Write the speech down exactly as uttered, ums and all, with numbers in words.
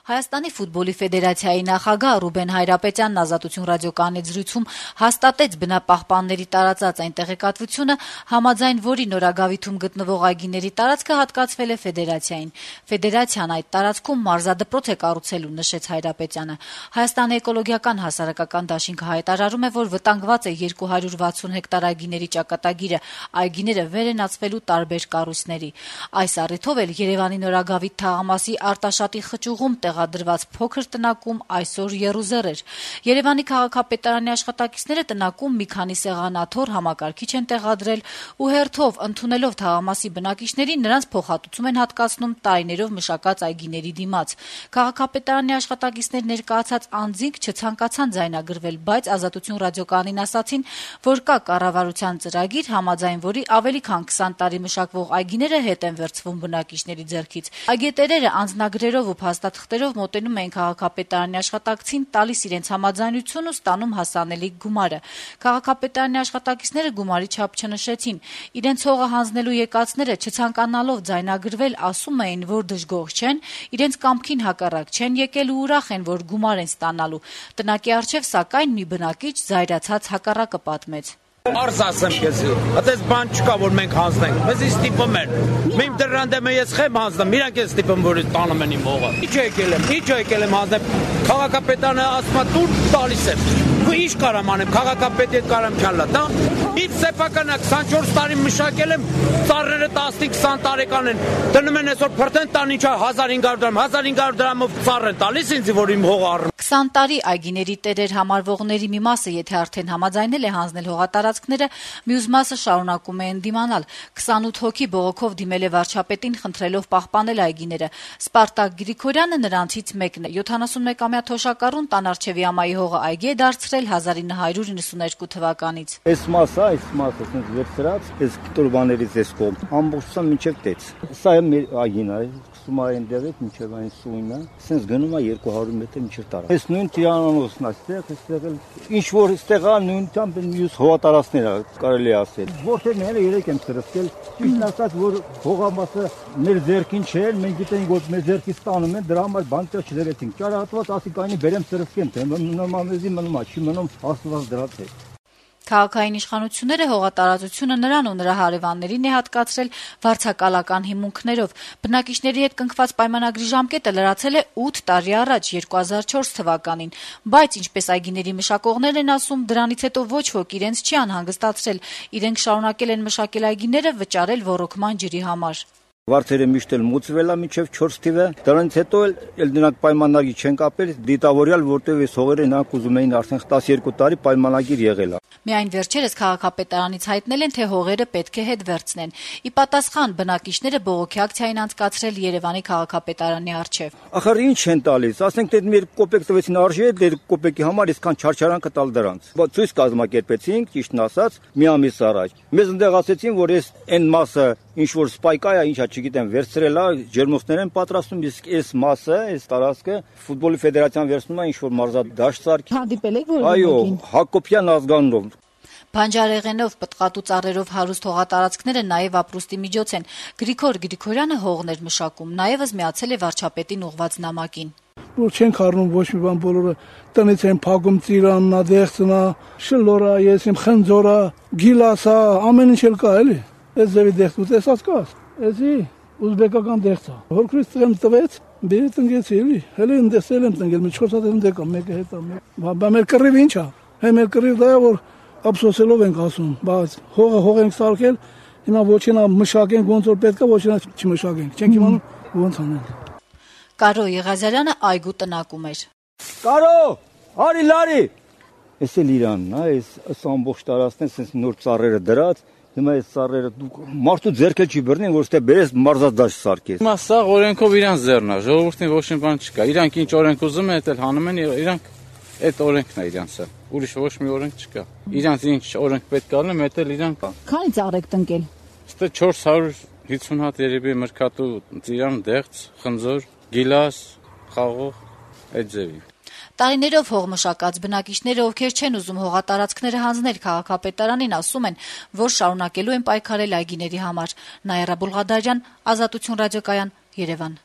Հայաստանի ֆուտբոլի ֆեդերացիայի նախագահ Ռուբեն Հայրապետյանն Ազատություն ռադիոկայանի զրույցում հաստատեց բնապահպանների տարածած այն տեղեկատվությունը, համաձայն որի Նորագավիթում գտնվող այգիների տարածքը հատկացվել է ֆեդերացիային։ Ֆեդերացիան այդ տարածքում մարզադպրոց է կառուցելու, նշեց Հայրապետյանը։ Հայաստանի էկոլոգիական հասարակական դաշինքը հայտարարում է, որ վտանգված է երկու հարյուր վաթսուն հեկտար այգիների ճակատագիրը, այգիները վերենացվելու տարբեր կառույցների։ Այս առիթով էլ Երևանի Նորագավիթ թաղամասի Արտաշատի խճուղում տեղադրված փոքր տնակում այսօր եռուզեռ էր։ Երևանի քաղաքապետարանի աշխատակիցները տնակում մի քանի սեղանաթոռ համակարգիչ են տեղադրել ու հերթով ընդունելով թաղամասի բնակիչներին նրանց փոխհատուցում են հատկացնում տարիներով մշակած այգիների դիմաց։ Քաղաքապետարանի աշխատակիցներ ներկայացած անձինք չցանկացան ձայնագրվել, բայց Ազատություն ռադիոկայանին ասացին, որ կա կառավարության ծրագիր, համաձայն որի ավելի քան քսան տարի մշակվող այգիները հետ են վերցվում բնակիչների ձեռքից։ Այգետերերը անձնագրերով ու փաստաթղթերով մոտենում էին քաղաքապետարանի աշխատակցին, տալիս իրենց համաձայնություն ու ստանում հասանելիք գումարը։ Քաղաքապետարանի աշխատակիցները գումարի չափ չնշեցին։ Իրենց հողը հանձնելու եկածները չցանկանալով ձայնագրվել, ասում էին, որ դժգոհ չեն, իրենց կամքին հակառակ չեն եկել ու ուրախ են, որ գումար են ստանալու։ Տնակի առջև, սակայն, մի բնակիչ զայրացած հակառակը պատմեց. Արզ ասեմ քեզի, այդպես բան չկա, որ մենք հանձնենք։ Մեզ ստիպում են։ Իմ դրան դեմ ես խեմ հանձնում, իրանք են ստիպում, որ տանում են իմ հողը։ Ինչ եկել եմ, ինչ եկել եմ հանձնեմ։ Քաղաքապետարանը ասում է դու տալիս եմ։ Ու ինչ կարամ անեմ, քաղաքապետի հետ կարամ չալա, դա։ Իմ սեփականը քսանչորս տարի մշակել եմ, ծառերը տասնինը քսան տարեկան են։ Դնում են այսօր փրտեն տան ինչա հազար հինգ հարյուր դրամ, հազար հինգ հարյուր դրամով ծառ են տալիս ինձ, որ իմ հողը առնեմ։ քսան տարի այգիների տերեր համարվողների մի մասը, եթե արդեն համաձայնել է հանձնել հողատարածքները, մյուս մասը շարունակում է ընդդիմանալ։ քսանութ հոգի բողոքով դիմել է վարչապետին, խնդրելով պահպանել այգիները։ Սպարտակ Գրիգորյանը նրանցից մեկն է։ յոթանասունմեկամյա Թոշակառուն Տանարչևի հողը այգի է դարձրել հազար ինը հարյուր իննսուներկու թվականից։ Այս մասը, այս մասը ցենց վերցրած, այս կտորբաներից էս կողմ, ամբողջությամբ մինչև տեց։ Սա է մեր այգին է, սկսում է այնտեղից մինչև այն սույնը, ցենց գնում է երկու հարյուր մետր մինչև տարա։ Այս նույն տիրանոցն է, այստեղ, այստեղ էլ ինչ որ այստեղ է նույնությամբ մյուս հողատարածքներ է, կարելի է ասել։ Որտեղները երեք եմ սրսկել, ճիշտ ասած, որ հողամասը մեր ձեռքին չէ, մենք գիտենք, որ մեր ձեռքից ստանում են, դրա համար բան չդրեցինք։ Ճարահատված ասիկայինի բերեմ սրսկեմ, թե նոմանեզի մնում է, չի մնում աստված դրած է։ Քաղաքային իշխանությունները հողատարածությունը նրան ու նրա հարևաններին է հատկացրել վարձակալական հիմունքներով։ Բնակիչների հետ կնքված պայմանագրի ժամկետը լրացել է ութ տարի առաջ, երկու հազար չորս թվականին, բայց ինչպես այգիների մշակողներն են ասում, դրանից հետո ոչ ոք իրենց չի անհանգստացրել։ Իրենք շարունակել են մշակել այգիները, վճարել ոռոգման ջրի համար։ Վարձերը միշտ էլ մուծվել է մինչև չորս թիվը, դրանից հետո էլ նրանք պայմանագիր չեն կապել, դիտավորյալ, որտեղ այս հողերը նրանք ուզում էին արդեն տասներկու տարի պայմանագիր եղել է։ Միայն վերջերս քաղաքապետարանից հայտնել են, թե հողերը պետք է հետ վերցնեն։ Ի պատասխան բնակիչները բողոքի ակցիա են անցկացրել Երևանի քաղաքապետարանի առջև։ Ախր ինչ են տալիս, ասենք թե մեր կոպեկ տվեցին արժի, դեր կոպեկի համար այսքան չարչարանքը տալ դրանց։ Բայց ցույց կազմակերպեցինք, ճիշտն ասած, մի ամիս առաջ։ Մեզ ընդեղ ասեցին, որ այս այն մասը ինչ որ սպայկա է, ինչա չգիտեմ, վերցրել է, ջերմոցներ են պատրաստում, իսկ այս մասը, այս տարածքը ֆուտբոլի ֆեդերացիան վերցնում է ինչ որ մարզադաշտ սարքի։ Հանդիպել եք որ այո, Հակոբյան ազգանունով։ Բանջարեղենով, պտղատու ծառերով հարուստ հողատարածքները նաև ապրուստի միջոց են։ Գրիգոր Գրիգորյանը հողներ մշակում, նաև միացել է վարչապետին ուղված նամակին։ Որ չենք առնում ոչ մի բան, բոլորը տնից են փակում ծիրաննա, դեղցնա, շլորա, ես իմ խնձորա, գիլասա, ամեն ինչ էլ կա էլի։ Այս ձևի դեղց ու տեսած կա։ Էսի ուզբեկական դեղց է։ Հորքրից տղեմ տվեց, բերի տնգեցի էլի։ Հələ ընդեսել եմ տնգել, մի չորս հատ եմ դեկա, մեկը հետ է։ Բա մեր կռիվ ի՞նչ է։ Հե մեր կռիվ դա է, որ ափսոսելով ենք ասում, բայց հողը հող ենք սարքել, հիմա ոչինա մշակենք, ոնց որ պետք է, ոչինա չմշակենք։ Չենք իմանում ոնց անենք։ Կարո Եղազարյանը այգու տնակում էր։ Կարո, արի լարի։ Էս էլ Իրանն է, այս ամբողջ տարածքն է, sense նոր ծառերը դրած, հիմա այս ծառերը դուք մարդու ձեռքը չի բռնին, որ ստե բերես մարզադաշտ սարքես։ Հիմա սա օրենքով իրան ձեռն է, ժողովրդին ոչ մի բան չկա։ Իրանք ինչ օրենք ուզում են, էլ հանում են, իրանք այդ օրենքն է իրանցը։ Ուրիշ ոչ մի օրենք չկա։ Իրանք ինչ օրենք պետք է անեն, դա էլ իրանք կա։ Քանի ծառ եք տնկել։ Ստե չորս հարյուր հիսուն հատ երևի մրգատու ծիրան, դեղց, խնձոր, գիլաս, խաղող, այդ ձևի։ Տարիներով հող մշակած բնակիչները, ովքեր չեն ուզում հողատարածքները հանձնել քաղաքապետարանին, ասում են, որ շարունակելու են պայքարել այգիների համար։ Նաիրա Բուլղադարյան, Ազատություն ռադիոկայան, Երևան։